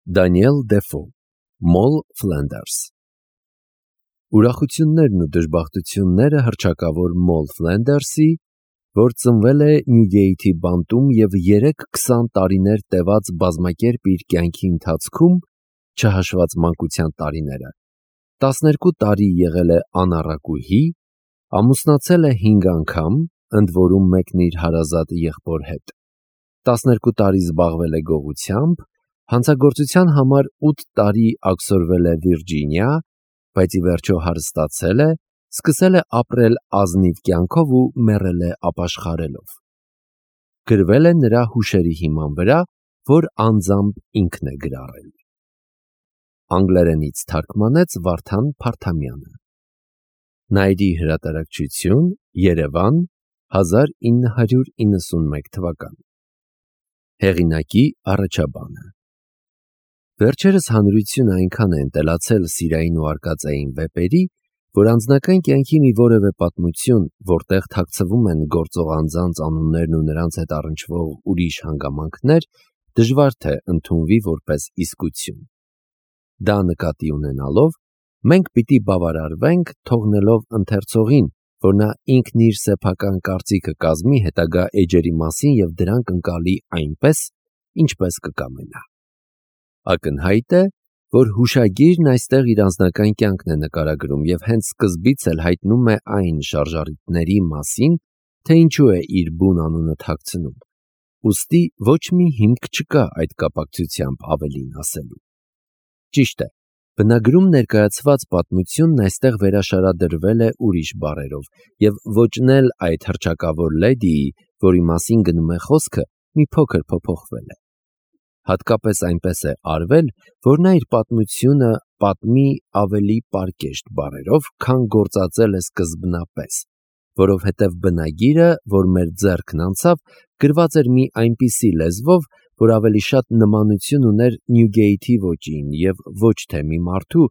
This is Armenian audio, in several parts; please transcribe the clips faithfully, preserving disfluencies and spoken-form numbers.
Դանիել Դեֆո, Մոլ Ֆլենդերս։ Ուրախություններն ու դժբախտությունները հռչակավոր Մոլ Ֆլենդերսի, որ ծնվել է Նյուգեյթի բանտում և երեք քսան տարիներ տևած բազմակերպ իր կյանքի ընթացքում, չհաշված մանկության տարիները, տասներկու տարի եղել է անառակուհի, ամուսնացել է հինգ անգամ, ընդ որում մեկն իր հարազատ եղբոր հետ, տասներկու տարի զբաղվել է գողությամբ, հանցագործության համար ութ տարի աքսորվել է Վիրջինիա, բայց ի վերջո հարստացել է, սկսել է ապրել ազնիվ կյանքով ու մեռել է ապաշխարելով։ Գրվել է նրա հուշերի հիման վրա, որ անձամբ ինքն է գրառել։ Անգլերենից թարգմանեց Վարդան Փարթամյանը։ Նայիրի հրատարակչություն, Երևան, հազար ինը հարյուր իննսունմեկ թվական։ Հեղինակի առաջաբանը։ Վերջերս հանրությունը այնքան է ընտելացել սիրային ու արկածային վեպերի, որ անձնական կյանքի մի որևէ պատմություն, որտեղ թաքցվում են գործող անձանց անուններն ու նրանց հետ առնչվող ուրիշ հանգամանքներ, դժվար թե ընդունվի որպես իսկություն։ Դա նկատի ունենալով, մենք պիտի բավարարվենք, թողնելով ընթերցողին, որ նա ինքն իր սեփական կարծիքը կազմի հետագա էջերի մասին և դրանք ընկալի այնպես, ինչպես կկամենա։ Ակնհայտ է, որ հուշագիրն այստեղ իր անձնական կյանքն է նկարագրում և հենց սկզբից էլ հայտնում է այն շարժառիթների մասին, թե ինչու է իր բուն անունը թաքցնում, ուստի ոչ մի հիմք չկա այդ կապակցությամբ ավելին ասելու։ Ճիշտ է, բնագրում ներկայացված պատմությունն այստեղ վերաշարադրվել է ուրիշ բառերով և ոճն էլ այդ հռչակավոր լեդիի, որի մասին գնում է խոսքը, մի փոքր փոփոխվել է։ Հատկապես այնպես է արվել, որ նա իր պատմությունը պատմի ավելի պարկեշտ բառերով, քան գործածել է սկզբնապես, որովհետև բնագիրը, որ մեր ձեռքն անցավ, գրված էր մի այնպիսի լեզվով, որ ավելի շատ նմանություն ուներ Նյուգեյթի ոճին և ոչ թե մի մարդու,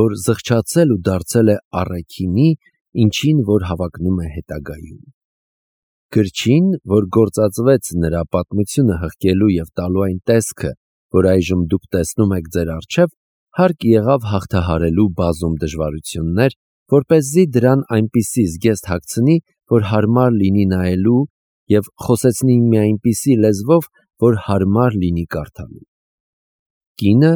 որ զղջացել ու դարձել է առաքինի, ինչին որ հավակնում է հետագայում։ Գրչին, որ գործածվեց նրա պատմությունը հղկելու և տալու այն տեսքը, որ այժմ դուք տեսնում եք ձեր առջև, հարկ եղավ հաղթահարելու բազում դժվարություններ, որպեսզի դրան այնպիսի զգեստ հագցնի, որ հարմար լինի նայելու և խոսեցնի մի այնպիսի լեզվով, որ հարմար լինի կարդալու։ Կինը,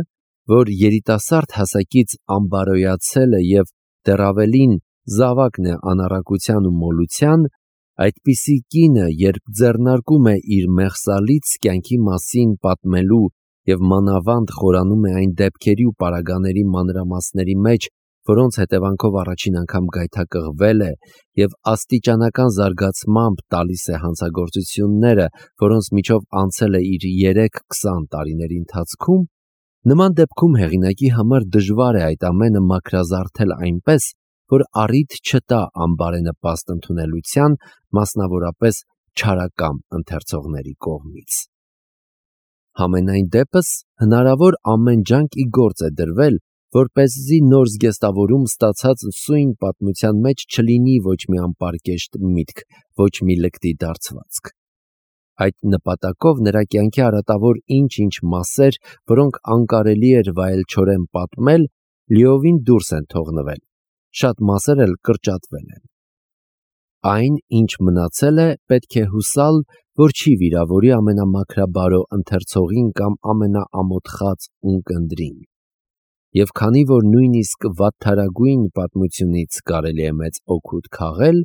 որ երիտասարդ հասակից անբարոյացել է և դեռ ավելին զավակն է անառակության ու մոլության, այդպիսի կինը, երբ ձեռնարկում է իր մեղսալից կյանքի մասին պատմելու և մանավանդ խորանում է այն դեպքերի ու պարագաների մանրամասների մեջ, որոնց հետևանքով առաջին անգամ գայթակղվել է և աստիճանական զարգացմամբ տալիս է հանցագործությունները, որոնց միջով անցել է իր երեք քսան տարիների ընթացքում, նման դեպքում հեղինակի համար դժվար է այդ ամենը մաքրազարդել այնպես, որ առիթ չտա անբարենպաստ ընդունելության, մասնավորապես չարակամ ընթերցողների կողմից։ Համենայն դեպս, հնարավոր ամեն ջանք ի գործ է դրվել, որպեսզի նոր զգեստավորում ստացած սույն պատմության մեջ չլինի ոչ մի անպարկեշտ միտք, ոչ մի լկտի դարձվածք։ Այդ նպատակով նրա կյանքի արատավոր ինչ-ինչ մասեր, որոնք անկարելի էր վայելչորեն պատմել, լիովին դուրս են թողնվել, շատ մասեր էլ կրճատվել են։ Այն, ինչ մնացել է, պետք է հուսալ, որ չի վիրավորի ամենամաքրաբարո ընթերցողին կամ ամենաամոթխած ունկնդրին։ Եվ քանի որ նույնիսկ վատթարագույն պատմությունից կարելի է մեծ օգուտ քաղել,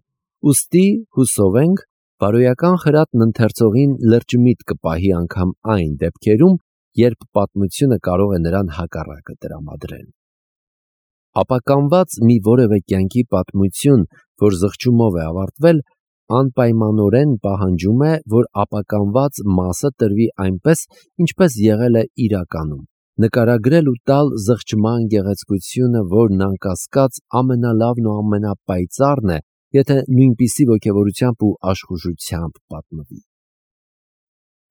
ուստի հուսով ենք, բարոյական խրատն ընթերցողին լրջմիտ կպահի անգամ այն դեպքերում, երբ պատմությունը կարող է նրան հակառակը տրամադրել։ Ապականված մի որևէ կյանքի պատմություն, որ զղջումով է ավարտվել, անպայմանորեն պահանջում է, որ ապականված մասը տրվի այնպես, ինչպես եղել է իրականում, նկարագրել ու տալ զղջման գեղեցկությունը, որն անկասկած ամենալավն ու ամենապայծառն է, եթե նույնպիսի ոգևորությամբ ու աշխուժությամբ պատմվի։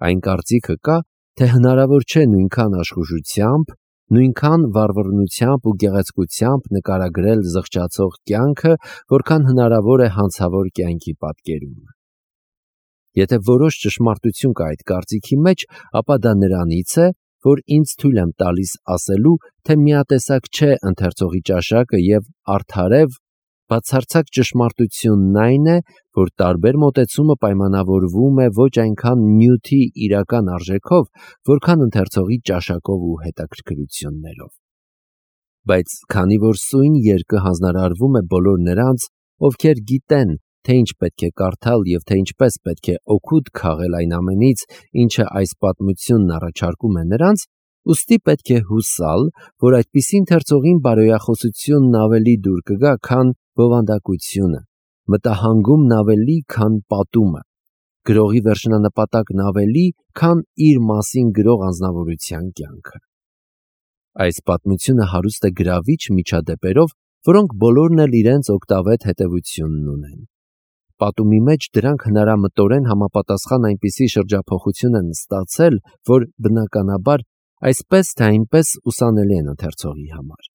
Այն կարծիքը կա, թե հնարավոր չէ նույնքան աշխուժությամբ, նույնքան վառվռնությամբ ու գեղեցկությամբ նկարագրել զղջացող կյանքը, որքան հնարավոր է հանցավոր կյանքի պատկերումը։ Եթե որոշ ճշմարտություն կա այդ կարծիքի մեջ, ապա դա նրանից է, որ ինձ թույլ եմ տալիս ասելու, թե միատեսակ չէ ընթերցողի ճաշակը և արդարև, բացարձակ ճշմարտությունն այն է, որ տարբեր մոտեցումը պայմանավորվում է ոչ այնքան նյութի իրական արժեքով, որքան ընթերցողի ճաշակով ու հետաքրքրություններով։ Բայց քանի որ սույն երկը հանձնարարվում է բոլոր նրանց, ովքեր գիտեն, թե ինչ պետք է կարդալ և թե ինչպես պետք է օգուտ քաղել այն ամենից, ինչը այս պատմությունն առաջարկում է նրանց, ուստի պետք է հուսալ, որ այդպիսի ընթերցողին բարոյախոսությունն ավելի դուր կգա, քան բովանդակությունը, մտահանգումն ավելի, քան պատումը, գրողի վերջնանպատակն ավելի, քան իր մասին գրող անձնավորության կյանքը։ Այս պատմությունը հարուստ է գրավիչ միջադեպերով, որոնք բոլորն էլ իրենց օգտավետ հետևությունն ունեն։ Պատումի մեջ դրանք հնարամտորեն համապատասխան այնպիսի շրջափոխություն են ստացել, որ բնականաբար այսպես թե այնպես ուսանելի են ընթերցողի համար։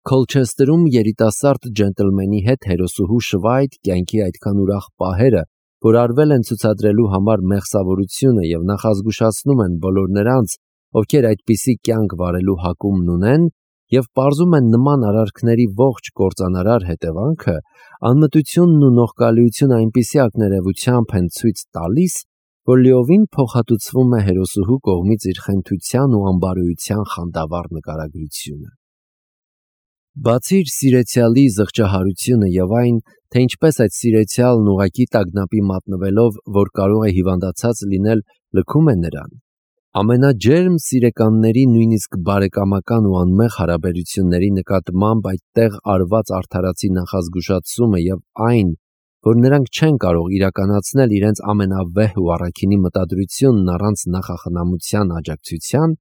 Քոլչեսթերում երիտասարդ ջենտլմենի հետ հերոսուհու շվայտ կյանքի այդքան ուրախ պահերը, որ արվել են ցուցադրելու համար մեղսավորությունը և նախազգուշացնում են բոլոր նրանց, ովքեր այդպիսի կյանք վարելու հակումն ունեն, և պարզում են նման արարքների ողջ կործանարար հետևանքը, անմտությունն ու նողկալիությունը այնպիսի ակներևությամբ են ցույց տալիս, որ լիովին փոխհատուցվում է հերոսուհու կողմից իր խենթության ու անբարոյության խանդավառ նկարագրությունը։ Բացի իր սիրեցյալի զղջահարությունը և այն, թե ինչպես այդ սիրեցյալն ուղղակի տագնապի մատնվելով, որ կարող է հիվանդացած լինել, լքում է նրան, ամենաջերմ սիրեկանների նույնիսկ բարեկամական ու անմեղ հարաբերությունների նկատմամբ այդտեղ արված արդարացի նախազգուշացումը և այն, որ նրանք չեն կարող իրականացնել իրենց ամենավեհ ու առաքինի մտադրությունն առանց նախախնամության աջակցության,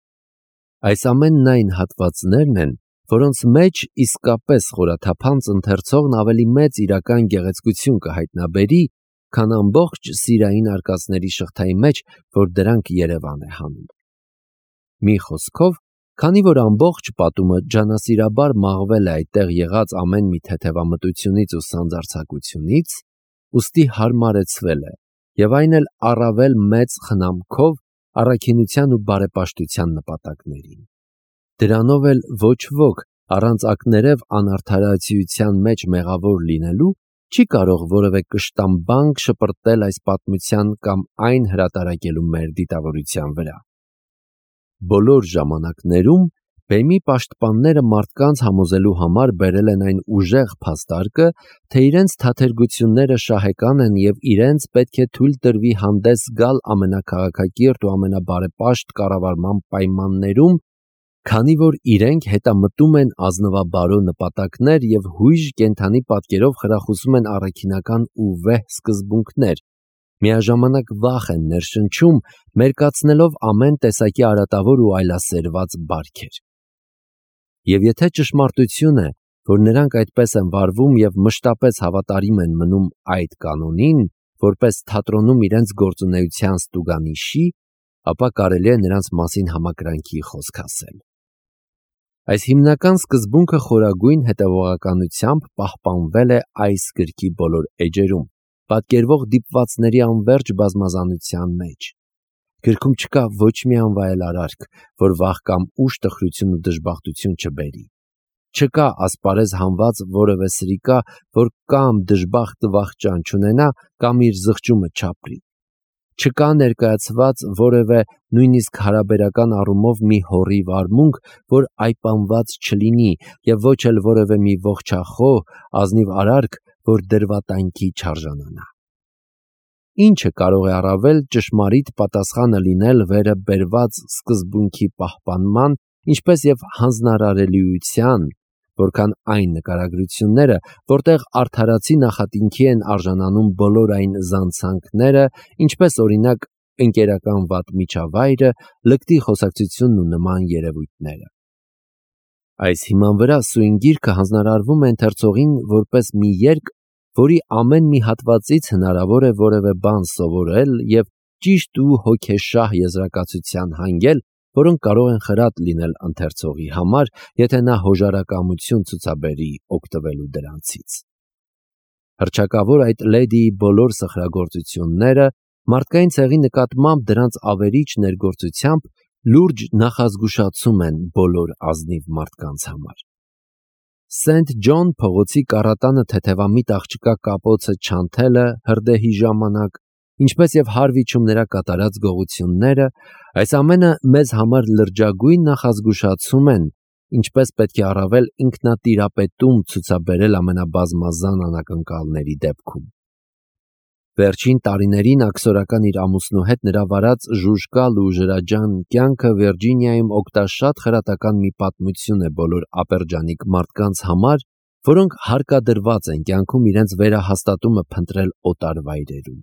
այս ամենն այն հատվածներն են, որոնց մեջ իսկապես խորաթափանց ընթերցողն ավելի մեծ իրական գեղեցկություն կհայտնաբերի, քան ամբողջ սիրային արկածների շղթայի մեջ, որ դրանք Երևան է հանում։ Մի խոսքով, քանի որ ամբողջ պատումը ջանասիրաբար մաղվել է այդտեղ եղած ամեն մի թեթևամտությունից ու սանձարձակությունից, ուստի հարմարեցվել է, և այն էլ առավել մեծ խնամքով առաքինության ու բարեպաշտության նպատակներին։ Դրանով էլ ոչ ոք, առանց ակներև անարդարացիության մեջ մեղավոր լինելու, չի կարող որևէ կշտամբանք շպրտել այս պատմության կամ այն հրատարակելու մեր դիտավորության վրա։ Բոլոր ժամանակներում բեմի պաշտպանները մարդկանց համոզելու համար բերել են այն ուժեղ փաստարկը, թե իրենց թաթերգությունները շահեկան են և իրենց պետք է թույլ տրվի հանդես գալ ամենաքաղաքակիրթ ու ամենաբարեպաշտ կառավարման պայմաններում, քանի որ իրենք հետամտում են ազնվաբարո նպատակներ և հույժ կենդանի պատկերով խրախուսում են առաքինական ու վեհ սկզբունքներ, միաժամանակ վախ են ներշնչում, մերկացնելով ամեն տեսակի արատավոր ու այլասերված բարքեր։ Եվ եթե ճշմարտություն է, որ նրանք այդպես են վարվում և մշտապես հավատարիմ են մնում այդ կանոնին, որպես թատրոնում իրենց գործունեության ստուգանիշի, ապա կարելի է նրանց մասին համակրանքի խոսք ասել։ Այս հիմնական սկզբունքը խորագույն հետևողականությամբ պահպանվել է այս գրքի բոլոր էջերում, պատկերվող դիպվածների անվերջ բազմազանության մեջ։ Գրքում չկա ոչ մի անվայել արարք, որ վախ կամ ուշ տխրություն ու դժբախտություն չբերի։ Չկա ասպարեզ հանված որևէ սրիկա, որ կամ դժբախտը վախճան չունենա, կամ իր զղջումը չապրի։ Չկա ներկայացված որևէ նույնիսկ հարաբերական առումով մի հոռիվ արմունկ, որ այպանված չլինի, և ոչ էլ որևէ մի ողջախոհ, ազնիվ արարք, որ դրվատանքի չարժանանա։ Ինչը կարող է առավել ճշմարիտ պատասխանը լինել վերը բերված սկզբունքի պահպանման, ինչպես և հանձնարարելիության, որքան այն նկարագրությունները, որտեղ արդարացի նախատինքի են արժանանում բոլոր այն զանցանքները, ինչպես օրինակ ընկերական վատ միջավայրը, լկտի խոսակցությունն ու նման երևույթները։ Այս հիման վրա սույն գիրքը հանձնարարվում է ընթերցողին որպես մի երգ, որի ամեն մի հատվածից հնարավոր է որևէ բան սովորել և ճիշտ ու հոգեշահ եզրակացության հանգել, որոնք կարող են խրատ լինել ընթերցողի համար, եթե նա հոժարակամություն ցուցաբերի օգտվելու դրանցից։ Հռչակավոր այդ լեդիի բոլոր սխրագործությունները, մարդկային ցեղի նկատմամբ դրանց ավերիչ ներգործությամբ լուրջ նախազգուշացում են բոլոր ազնիվ մարդկանց համար։ Սենթ Ջոն փողոցի կառատանը թեթևամիտ աղջկա կապոցը չանթելը հրդեհի ժամանակ, ինչպես եւ հարվիչում նրա կատարած գողությունները, այս ամենը մեզ համար լրջագույն նախազգուշացում են, ինչպես պետք է առավել ինքնատիրապետում ցուցաբերել ամենաբազմազան անակնկալների դեպքում։ Վերջին տարիներին աքսորական իր ամուսնու հետ նրա վարած ժուժկալ ու ժրաջան կյանքը Վիրջինիայում օգտաշատ խրատական մի պատմություն է բոլոր ապերջանիկ մարդկանց համար, որոնք հարկադրված են կյանքում իրենց վերահաստատումը փնտրել օտար վայրերում։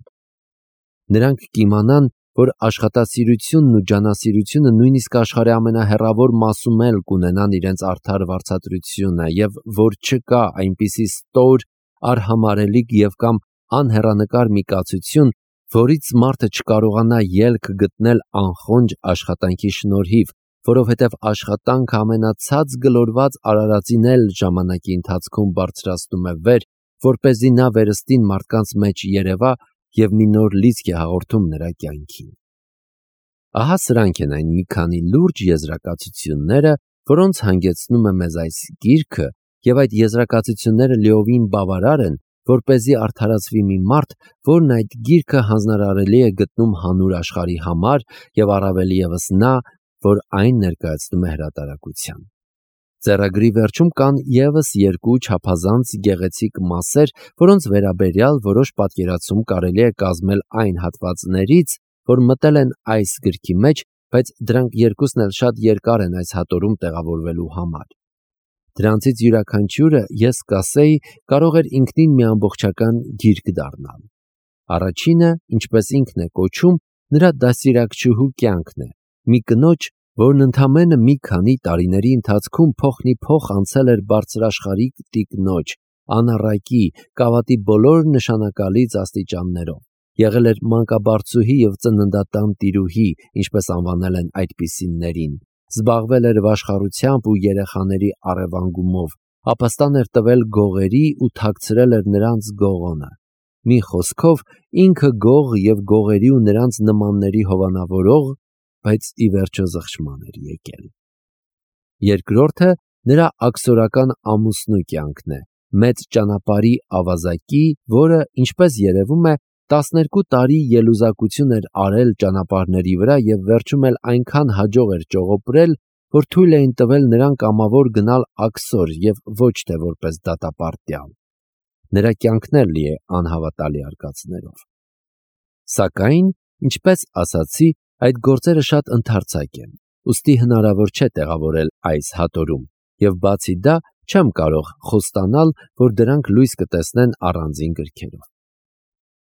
Նրանք կիմանան, որ աշխատասիրությունն ու ջանասիրությունը նույնիսկ աշխարհի ամենահեռավոր մասում էլ կունենան իրենց արդար վարձատրությունը եւ որ չկա այնպիսի ստոր, արհամարհելիք եւ կամ անհեռանկար մի կացություն, որից մարդը չկարողանա ելք գտնել անխոնջ աշխատանքի շնորհիվ, որովհետև աշխատանքը ամենացած գլորված արարածին էլ ժամանակի ընթացքում բարձրացնում է վեր, որպեսզի նա վերստին մարդկանց մեջ երևա եւ մի նոր լիցք է հաղորդում նրա կյանքին։ Ահա սրանք են այն մի քանի լուրջ եզրակացությունները, որոնց հանգեցնում է մեզ այս գիրքը, եւ այդ եզրակացությունները լիովին բավարար են, որպեսզի արդարացվի մի մարդ, որն այդ գիրքը հանձնարարելի է գտնում հանուր աշխարհի համար եւ առավել եւս նա, որ այն ներկայացնում է հրատարակության։ Ձեռագրի վերջում կան եւս երկու չափազանց գեղեցիկ մասեր, որոնց վերաբերյալ որոշ պատկերացում կարելի է կազմել այն հատվածներից, որ մտել են այս գրքի մեջ, բայց դրանք երկուսն էլ շատ երկար են այս հատորում տեղավորվելու համար։ Դրանցից յուրաքանչյուրը, ես կասեի, կարող էր ինքնին մի ամբողջական գիրք դառնալ։ Առաջինը, ինչպես ինքն է կոչում, նրա դաստիարակչուհու կյանքն է, մի կնոջ, որն ընդամենը մի քանի տարիների ընթացքում փոխնիփոխ անցել էր բարձրաշխարհիկ տիկնոջ, անառակի, կավատի բոլոր նշանակալից աստիճաններով, եղել էր մանկաբարձուհի եւ ծննդատան տիրուհի, ինչպես անվանել են այդպիսիներին, զբաղվել էր վաշխառությամբ ու երեխաների առևանգումով, ապաստան էր տվել գողերի ու թաքցրել էր նրանց գողոնը։ Մի խոսքով, ինքը գող եւ գողերի ու նրանց նմանների հովանավորող, բայց ի վերջո զղջման էր եկել։ Երկրորդը նրա աքսորական ամուսնու կյանքն է, մեծ ճանապարհի ավազակի, որը, ինչպես երևում է, տասներկու տարի ելուզակություն էր արել ճանապարհների վրա եւ վերջում էլ այնքան հաջող էր ճողոպրել, որ թույլ էին տվել նրան կամավոր գնալ աքսոր եւ ոչ թե որպես դատապարտյալ։ Նրա կյանքն էլ լի է անհավատալի արկածներով։ Սակայն, ինչպես ասացի, այդ գործերը շատ ընդարձակ են, ուստի հնարավոր չէ տեղավորել այս հատորում, եւ բացի դա չեմ կարող խոստանալ, որ դրանք լույս կտեսնեն առանձին գրքերով։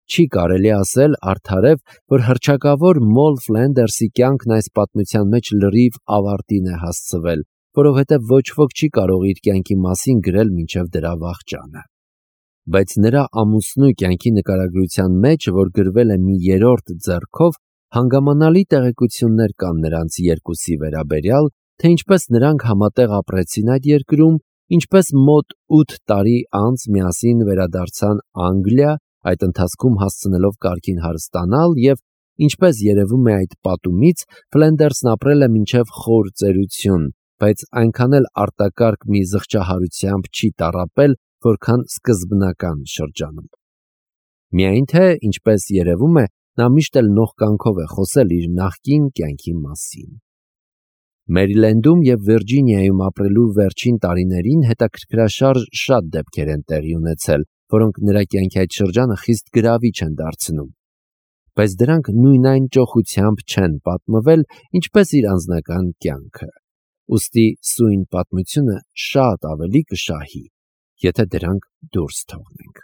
Չի կարելի ասել արդարև, որ հռչակավոր Մոլ Ֆլենդերսի կյանքն այս պատմության մեջ լրիվ ավարտին է հասցվել, որովհետև ոչ ոք չի կարող իր կյանքի մասին գրել մինչև դրա վախճանը։ Բայց նրա ամուսնու կյանքի նկարագրության մեջ, որ գրվել է մի երրորդ ձեռքով, հանգամանալի տեղեկություններ կան նրանց երկուսի վերաբերյալ, թե ինչպես նրանք համատեղ ապրեցին այդ երկրում, ինչպես մոտ ութ տարի անց միասին վերադարձան Անգլիա, այդ ընթացքում հասցնելով կարգին հարստանալ եւ ինչպես երևում է այդ պատումից, Ֆլենդերսն ապրել է մինչև խոր ծերություն, բայց այնքան էլ արտակարգ մի զղջահարությամբ չի տառապել, որքան սկզբնական շրջանում։ Միայն թե, ինչպես երևում է, նա միշտ էլ նողկանքով է խոսել իր նախկին կյանքի մասին։ Մերիլենդում եւ Վիրջինիայում ապրելու վերջին տարիներին հետաքրքրաշարժ շատ դեպքեր են տեղի ունեցել, որոնք նրա կյանքի այդ շրջանը խիստ գրավիչ են դարձնում։ Բայց դրանք նույն այն ճոխությամբ չեն պատմվել, ինչպես իր անձնական կյանքը։ Ուստի սույն պատմությունը շատ ավելի կշահի, եթե դրանք դուրս թողնենք։